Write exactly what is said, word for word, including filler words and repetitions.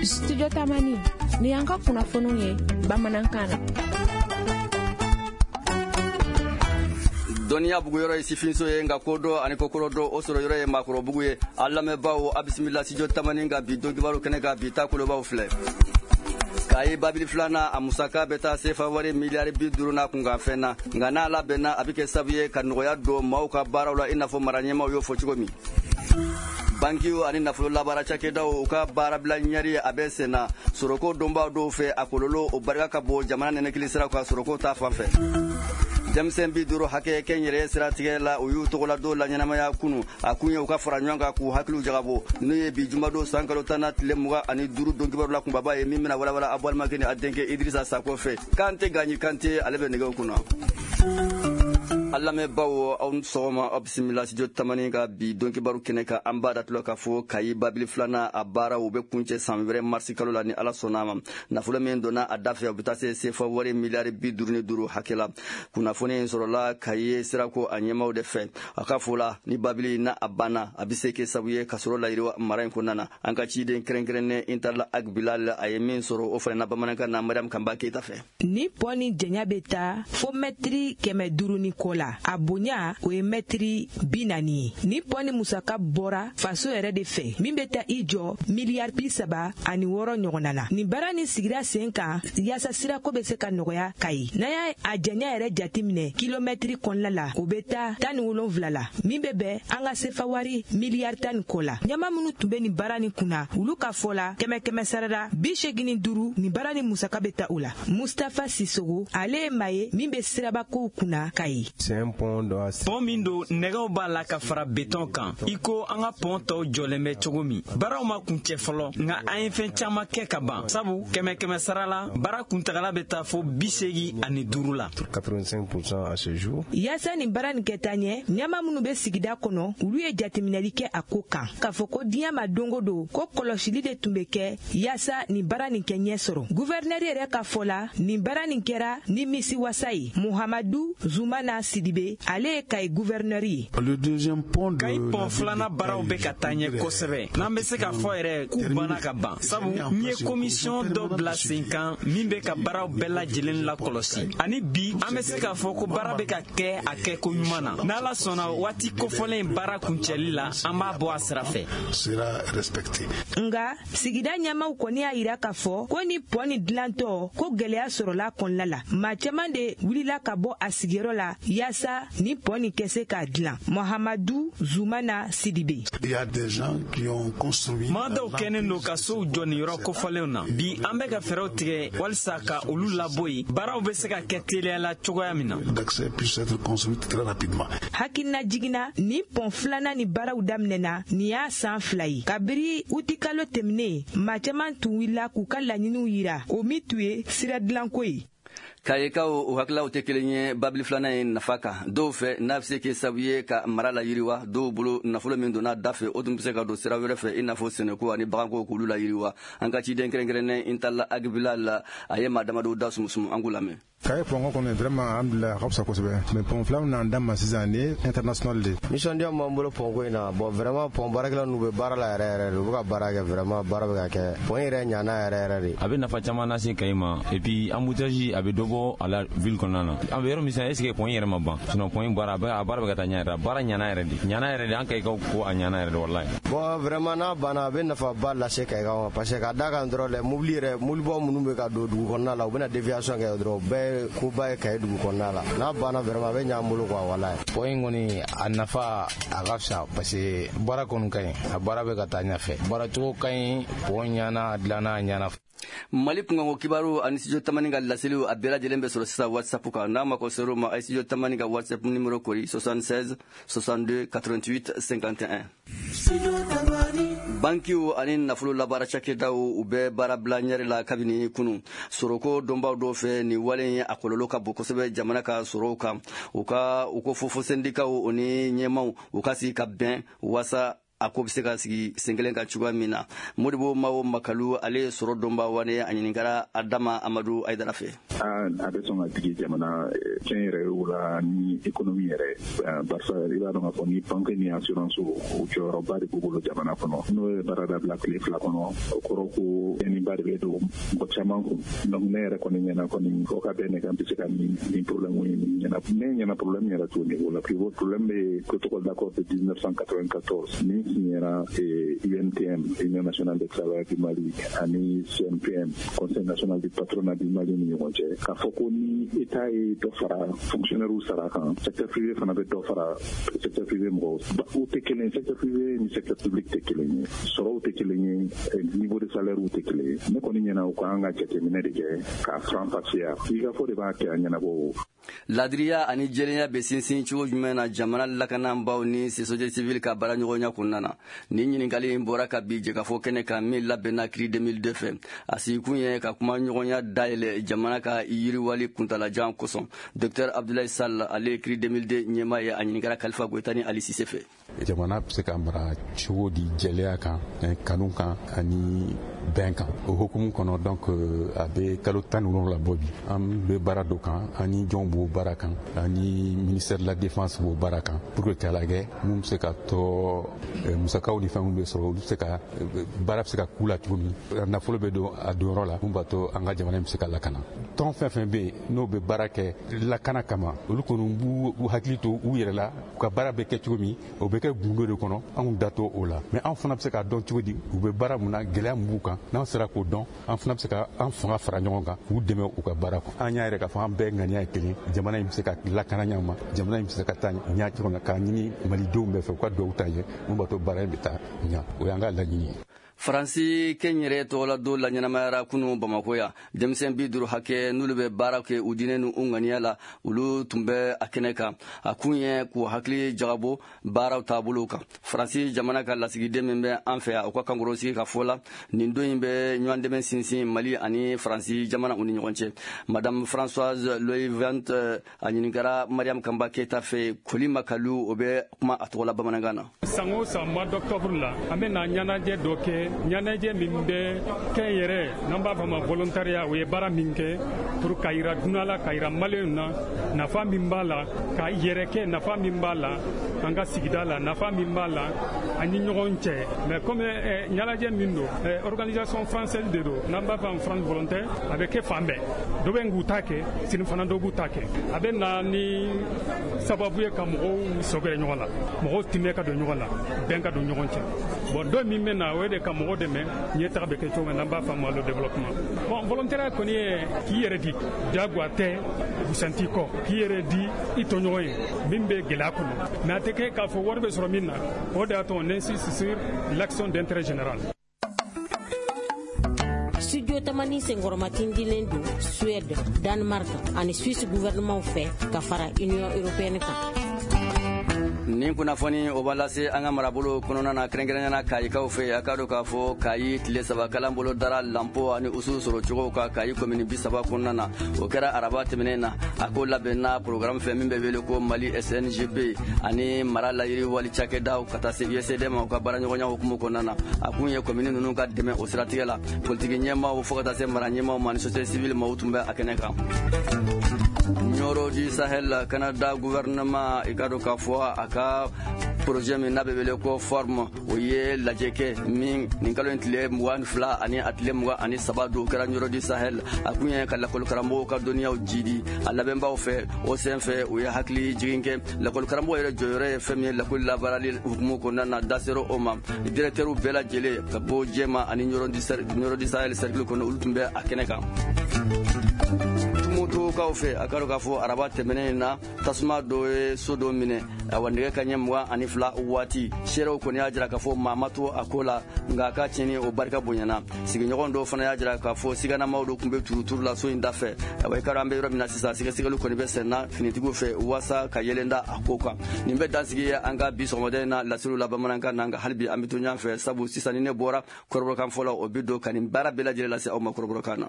Studio Tamani ni y'an ka kunnafoniw ye bamanankan na. Dɔnniya buguyɔrɔ ye sifinso ye, nka kodɔn ani kokɔrɔ dɔ o sɔrɔ yɔrɔ ye maakɔrɔbugu ye. A lamɛnbaaw, a bisimila Studio Tamani ka bi don kibaru kɛnɛ kan. Bi ta kolobaw filɛ: Kayi babili filanan, a musaka bɛ taa sefa wari miliyari bi duuru n'a kunkanfɛn na, nka n'a labɛnna, a bɛ kɛ sababu ye ka nɔgɔya don maaw ka baaraw la, i n'a fɔ mara ɲɛmaaw y'o fɔ cogo min. Bankiw ani nafolo labaara cakɛdaw, u ka baarabila ɲɛri, a bɛ sen na. Sɔrɔko donbaw dɔw fɛ, a kɔlɔlɔ o barika ka bon jamana nɛnɛkili siraw kan sɔrɔko ta fan fɛ. Denmisɛn bi duuru hakɛ kɛnyɛrɛye siratigɛ la, u y'u tɔgɔla dɔw la ɲɛnamaya kunu. A kun ye u ka fara ɲɔgɔn kan k'u hakiliw jagabɔ. N'u ye bi jumadon san kalo tan na tile mugan ani duuru don kibaru la kunbaba ye, min bɛna walawala a balimakɛ ni a denkɛ Idirisa Sako fɛ. Kante Gaɲi Kante, ale bɛ nɛgɛw kunna. A lamɛnbaw, aw ni sɔgɔma, aw bisimila Studio Tamani ka bi don kibaru kɛnɛ kan. An b'a datulɔ k'a fɔ Kayi babili filanan, a baaraw bɛ kuncɛ san wɛrɛ marisi kalo la ni Ala sɔnna a ma. Nafolo min donna a da fɛ, o bɛ taa se sefa wari miliyari bi duuru ni duuru hakɛ la. Kunnafoni in sɔrɔla Kayi sirako a ɲɛmaw de fɛ. A ka fɔ la, ni babili n'a a banna, a bɛ se kɛ sababu ye ka sɔrɔ layiriwa mara in kɔnɔna na. An ka ciden kɛrɛnkɛrɛnnen Intala Ag Bilal, a ye min sɔrɔ, o fana na bamanankan na, Mariam Kanba Keyita fɛ. Ni pɔn ni janya bɛ taa fo mɛtiri kɛmɛ duuru ni kɔ la, a bonya o ye mɛtiri bi naani ye. Ni pɔn ni musaka bɔra faso yɛrɛ de fɛ, min bɛ taa i jɔ miliyari bi saba ani wɔɔrɔ ɲɔgɔnna na. Nin baara nin sigira sen kan yaasa sirako bɛ se ka nɔgɔya Kayi. N'an y'a a janya yɛrɛ jateminɛ kilomɛtiri kɔnɔna la, o bɛ taa tan ni wolonwula la, min bɛ bɛn an ka sefa wari miliyari tan ni kɔ la. Ɲɛmaa minnu tun bɛ nin baara nin kunna, olu ka fɔ la, kɛmɛ kɛmɛ sarada bi seegin ni duuru, nin baara nin musaka bɛ taa o la. Mustafa Sisogo, ale ye maa ye min bɛ sirabakow kunna Kayi. Pɔn min don, nɛgɛw b'a la ka fara betɔn kan, i ko an ka pɔn tɔw jɔlen bɛ cogo min. Baaraw ma kuncɛ fɔlɔ, nka an ye fɛn caman kɛ ka ban, sabu kɛmɛ kɛmɛ sara la, baara kuntagala bɛ taa fo bi seegin ani duuru la. Yaasa nin baara nin kɛ taa ɲɛ, ɲɛmaa minnu bɛ sigida kɔnɔ, olu ye jateminɛli kɛ a ko kan, k'a fɔ ko diɲɛ ma don o don ko kɔlɔsili de tun bɛ kɛ yaasa nin baara nin kɛ ɲɛ sɔrɔ. Guvɛrinɛri yɛrɛ ka fɔ la, nin baara nin kɛra ni misi wasa ye. Muhamadu Zumana Sidibe, ale ye Kayi guvɛrinɛri ye. Kayi pɔn filanan baaraw bɛ ka taa ɲɛ kosɛbɛ, n'an bɛ se k'a fɔ yɛrɛ k'u banna ka ban, sabu n ye komisiyɔn dɔ bila sen kan min bɛ ka baaraw bɛɛ lajɛlen lakɔlɔsi. Ani bi, an bɛ se k'a fɔ ko baara bɛ ka kɛ a kɛko ɲuman na. N'Ala sɔnna, waati kofɔlen baara kuncɛli la, an b'a bɔ a sira fɛ. Nka sigida ɲɛmaaw kɔni y'a yira k'a fɔ ko ni pɔn nin dilantɔ, ko gɛlɛya sɔrɔla kɔnɔna la. Maa caman de wulila ka bɔ a sigiyɔrɔ la yaasa ni pɔn nin kɛ se k'a dilan. Mohamadu Zumana Sidibe. Maa dɔw kɛnen don ka sow jɔ nin yɔrɔ kofɔlenw na. Bi, an bɛ ka fɛɛrɛw tigɛ walisa ka olu labɔ yen, baaraw bɛ se ka kɛ teliya la cogoya min na. Hakilina jiginna, ni pɔn filanan ni baaraw daminɛna nin y'a san fila ye. Kabiri utikalo tɛmɛnen, maa caman tun wulila k'u ka laɲiniw yira, o min tun ye sira dilanko ye. Kayikaw, o hakililaw tɛ kelen ye babili filanan in nafa kan. Dɔw fɛ, n'a bɛ se kɛ sababu ye ka mara la yiriwa. Dɔw bolo, nafolo min donna da fɛ, o tun bɛ se ka don sira wɛrɛ fɛ, i n'a fɔ sɛnɛko ani baganko, k'olu la yiriwa. An ka ciden kɛrɛnkɛrɛnnen Intala Ag Bilal, a ye maa damadɔw da sumusumu, an k'u lamɛn. Kayi pɔn kɔni, vraiment, alhamdulilayi, a ka fisa kosɛbɛ, mais pɔn fila min n'an da ma sisan, nin ye international de. Nisɔndiya min b'an bolo pɔn ko in na, bon, vraiment, pɔn baarakɛla ninnu bɛ baara la yɛrɛ yɛrɛ de. U bɛ ka baara kɛ, vraiment, baara bɛ ka kɛ. Pɔn yɛrɛ ɲana yɛrɛ yɛrɛ de. A bɛ nafa caman lase Kayi ma, et puis embouteillage, a bɛ dɔ bɔ a la ville kɔnɔna na. An bɛ yɔrɔ min sisan, est ce que pɔn yɛrɛ ma ban? Sinon pɔn in baara, a baara bɛ ka taa ɲɛ yɛrɛ. A baara ɲana yɛrɛ de, ɲana yɛrɛ de. An Kayikaw ko a ɲana yɛrɛ de, walayi. Bon, vraiment, n'a banna, a bɛ nafaba lase Kayikaw ma, parce que ka da kan dɔrɔn dɛ, mobili yɛrɛ, mobilibaw minnu bɛ ka don dugu kɔnɔna la, u bɛna déviation kɛ dɔrɔn, o bɛɛ koba ye Kayi dugu kɔnɔna la. N'a banna, vraiment, a bɛ ɲɛ an bolo quoi, walayi. Pɔn in kɔni, a nafa a ka fisa, parce que baara kɔni ka ɲi, a baara bɛ ka taa ɲɛfɛ, baaracogo ka ɲi, pɔn ɲana, a dilanna a ɲana. Mali kunkanko kibaru ani Studio Tamani ka laseliw, a bɛɛ lajɛlen bɛ sɔrɔ sisan WhatsApp kan. N'a mako ser'o ma, a ye Studio Tamani ka WhatsApp numéro kori: soixante-seize soixante-deux quatre-vingt-huit cinquante et un. Bankiw ani nafolo labaara cakɛdaw, u bɛ baarabila ɲɛri la kabini kunu. Sɔrɔko dɔnbaw dɔw fɛ, nin wale in a kɔlɔlɔ ka bon kosɛbɛ jamana ka sɔrɔw kan. U ka u ko fofo sɛndikaw o ni ɲɛmaw, u ka sigi ka bɛn waasa a ko bɛ se ka sigi sen kelen kan cogoya min na. Modibo Mawo Makalu, ale ye sɔrɔ dɔnba wane, a ɲininkara Adama Amadu Ayidara fɛ. A bɛ sɔn ka digi jamana tiɲɛ yɛrɛ o la ni économie yɛrɛ, barisa i b'a dɔn k'a fɔ ni banque ni assurance o jɔyɔrɔba de b'u bolo jamana kɔnɔ. N'o ye baara dabila tile fila kɔnɔ, o kɔrɔ ko tiɲɛniba de bɛ don mɔgɔ caman kun. Donc ne yɛrɛ kɔni ɲɛna kɔni fɔ ka bɛn ne kan bɛ se ka nin nin problème in ɲɛna. Ne ɲɛna problème yɛrɛ t'o niveau la. Plus gros problème bɛ protocole d'accord de mille neuf cent quatre-vingt-quatorze min signera U N T M, Union nationale des travailleurs du Mali, ani C N P M, Conseil national du patronat du Mali ni ɲɔgɔn cɛ, k'a fɔ ko ni État ye dɔ fara fonctionnaire sara kan, secteur privé fana bɛ dɔ fara secteur privé mɔgɔw. U tɛ kelen, secteur privé ni secteur public tɛ kelen ye, sɔrɔw tɛ kelen ye, niveau de salaire tɛ kelen ye. Ne kɔni ɲɛna u kan ka jateminɛ de kɛ k'a faranfasiya. Sigikafɔ de b'a kɛ a ɲɛnabɔ. Ladiriya ani jɛlenya bɛ sinsin cogo jumɛn na jamana lakanabaaw ni société civile ka baara ɲɔgɔnya kɔnɔna na? Nin ɲininkali in bɔra ka bi jɛkafɔ kɛnɛ kan min labɛnna CRI deux mille deux fɛ. A sigikun ye ka kuma ɲɔgɔnya dayɛlɛ jamana ka yiriwali kuntalajan kosɔn. Docteur Abdoulaye Sall, ale ye CRI deux mille deux ɲɛmaa ye, a ɲininkara Kalifa Goyita ni Ali Cissé fɛ. Jamana bɛ se ka mara cogo di jɛlenya kan, kanu kan ani bɛn kan? O hukumu kɔnɔ, donc a bɛ kalo tan ni wolonwula bɔ bi, an bɛ baara dɔ kan ani jɔn b'o baara kan, ani ministère de la défense b'o baara kan, pour que k'a lajɛ mun bɛ se ka tɔ musakaw ni fɛnw bɛ sɔrɔ, olu bɛ se ka baara bɛ se ka k'u la cogo min, nafolo bɛ don a donyɔrɔ la, mun b'a to an ka jamana in bɛ se ka lakana. Tɔn fɛn fɛn bɛ yen n'o bɛ baara kɛ lakana kama, olu kɔni b'u hakili to u yɛrɛ la, u ka baara bɛ kɛ cogo min, o bɛ kɛ gundo de kɔnɔ, anw da t'o o la. Mais anw fana bɛ se k'a dɔn cogo di u bɛ baara mun na, gɛlɛya mun b'u kan. N'an sera k'o dɔn, an fana bɛ se ka an fanga fara ɲɔgɔn kan k'u dɛmɛ u ka baara kɔnɔ. An y'a yɛrɛ k'a fɔ an bɛɛ ŋaniya ye kelen, jamana in bɛ se ka lakana ɲɛ ma, jamana in bɛ se ka taa ɲɛ cogo min na, k'a ɲini malidenw bɛɛ fɛ u ka duwawu ta ye mun b'a to baara in bɛ taa ɲɛ. O y'an ka laɲini ye. Faransi kɛnyɛrɛ tɔgɔla don la ɲɛnamayara kunu Bamako yan. Denmisɛn bi duuru hakɛ n'olu bɛ baara kɛ u diinɛ ni u ŋaniya la, olu tun bɛ a kɛnɛ kan. A kun ye k'u hakili jagabɔ baaraw taabolo kan. Faransi jamana ka lasigiden min bɛ an fɛ yan, o ka kankɔrɔsigi ka fɔ la, nin don in bɛ ɲɔgɔn dɛmɛ sinsin Mali ani Faransi jamana u ni ɲɔgɔn cɛ. Madame Françoise Loivent, a ɲininkara Mariam Kanba Keyita fɛ. Koli Makalu, o bɛ kuma a tɔgɔ la bamanankan na. San o san mois d'octobre la, an bɛ na ɲɛnajɛ dɔ kɛ, ɲɛnajɛ min bɛ kɛ yɛrɛ n'an b'a fɔ ma volontariat. O ye baara min kɛ pour ka yira dunan la, ka yira maliyɛnw na nafa min b'a la, ka yɛrɛ kɛ nafa min b'a la an ka sigida la, nafa min b'a la an ni ɲɔgɔn cɛ. Mais comme ɲɛnajɛ min don, organisation française de don, n'an b'a fɔ France volontaire, a bɛ kɛ fan bɛɛ. Dɔ bɛ k'u ta kɛ, sini fana dɔ b'u ta kɛ. A bɛ na ni sababu ye ka mɔgɔw sɔgɛrɛ ɲɔgɔn la, mɔgɔw timɛ ka don ɲɔgɔn la, bɛn ka don ɲɔgɔn cɛ. Bon, dɔ min bɛ na, o ye de ka mɔgɔ dɛmɛ ɲɛtaga bɛ kɛ cogo min, n'an b'a fɔ a ma le développement. Bon, volontariat kɔni ye k'i yɛrɛ di, diyagoya tɛ, busan t'i kɔ, k'i yɛrɛ di i tɔɲɔgɔn ye min bɛ gɛlɛya kɔnɔ. Mais a tɛ kɛ k'a fɔ wari bɛ sɔrɔ min na. O de y'a to on insiste sur l'action d'intérêt général. Studio Tamani senkɔrɔmatindilen don Suède, Danemark ani Suisse gouvernement fɛ ka fara Union européenne kan. Nin kunnafoni o b'a lase an ka marabolo kɔnɔna na, kɛrɛnkɛrɛnnenya na Kayikaw fɛ. A k'a dɔn k'a fɔ Kayi tile saba kalan bolo dara lanpo ani usu sɔrɔ cogow kan Kayi komini bi saba kɔnɔna na. O kɛra araba tɛmɛnen na. A ko labɛnna programme fɛ min bɛ wele ko Mali S N G P ani mara layiriwali cakɛdaw ka taa se U S D ma, u ka baaraɲɔgɔnya hukumu kɔnɔna na. A kun ye komini ninnu ka dɛmɛ o siratigɛ la. Politiki ɲɛmaaw fo ka taa se mara ɲɛmaaw ma ni société civile maaw tun bɛ a kɛnɛ kan. Nioro du Sahel, Canada gouvernement i ka dɔn k'a fɔ a ka projet min n'a bɛ wele ko forme, o ye lajɛ kɛ min nin kalo in tile mugan ni fila ani a tile mugan ani saba don, kɛra Nioro du Sahel. A kun ye ka lakɔlikaramɔgɔw ka dɔnniyaw jidi a labɛnbaw fɛ. O sen fɛ, u ye hakili jigin kɛ lakɔlikaramɔgɔw yɛrɛ jɔyɔrɔ ye fɛn min ye lakɔli labaarali hukumu kɔnɔna na. Da sera o ma, directeur bɛɛ lajɛlen ka bɔ Jɛma ani Nioro du Sahel cercle kɔnɔ, olu tun bɛ a kɛnɛ kan. Tumutukaw fɛ, a ka dɔn k'a fɔ araba tɛmɛnen in na, tasuma dɔ ye so dɔ minɛ, awa nɛgɛ ka ɲɛ mugan ani fila waati. Seerew kɔni y'a jira k'a fɔ maa ma to a ko la, nka a ka tiɲɛni o barika bonyana. Sigiɲɔgɔn dɔw fana y'a jira k'a fɔ siganamaw dɔ tun bɛ turuturu la so in da fɛ. Awa i ka dɔn an bɛ yɔrɔ min na sisan, sɛgɛsɛgɛliw kɔni bɛ sen na finitigiw fɛ waasa ka yɛlɛn da a ko kan. Nin bɛ dansigi ye an ka bi sɔgɔmada in na laseliw la bamanankan na, nka hali bi an bɛ to ɲɔgɔn fɛ, sabu sisan ni ne bɔra kɔrɔbɔrɔkan fɔlɔ, o bɛ don ka nin baara bɛɛ lajɛlen lase aw ma kɔrɔbɔrɔkan na.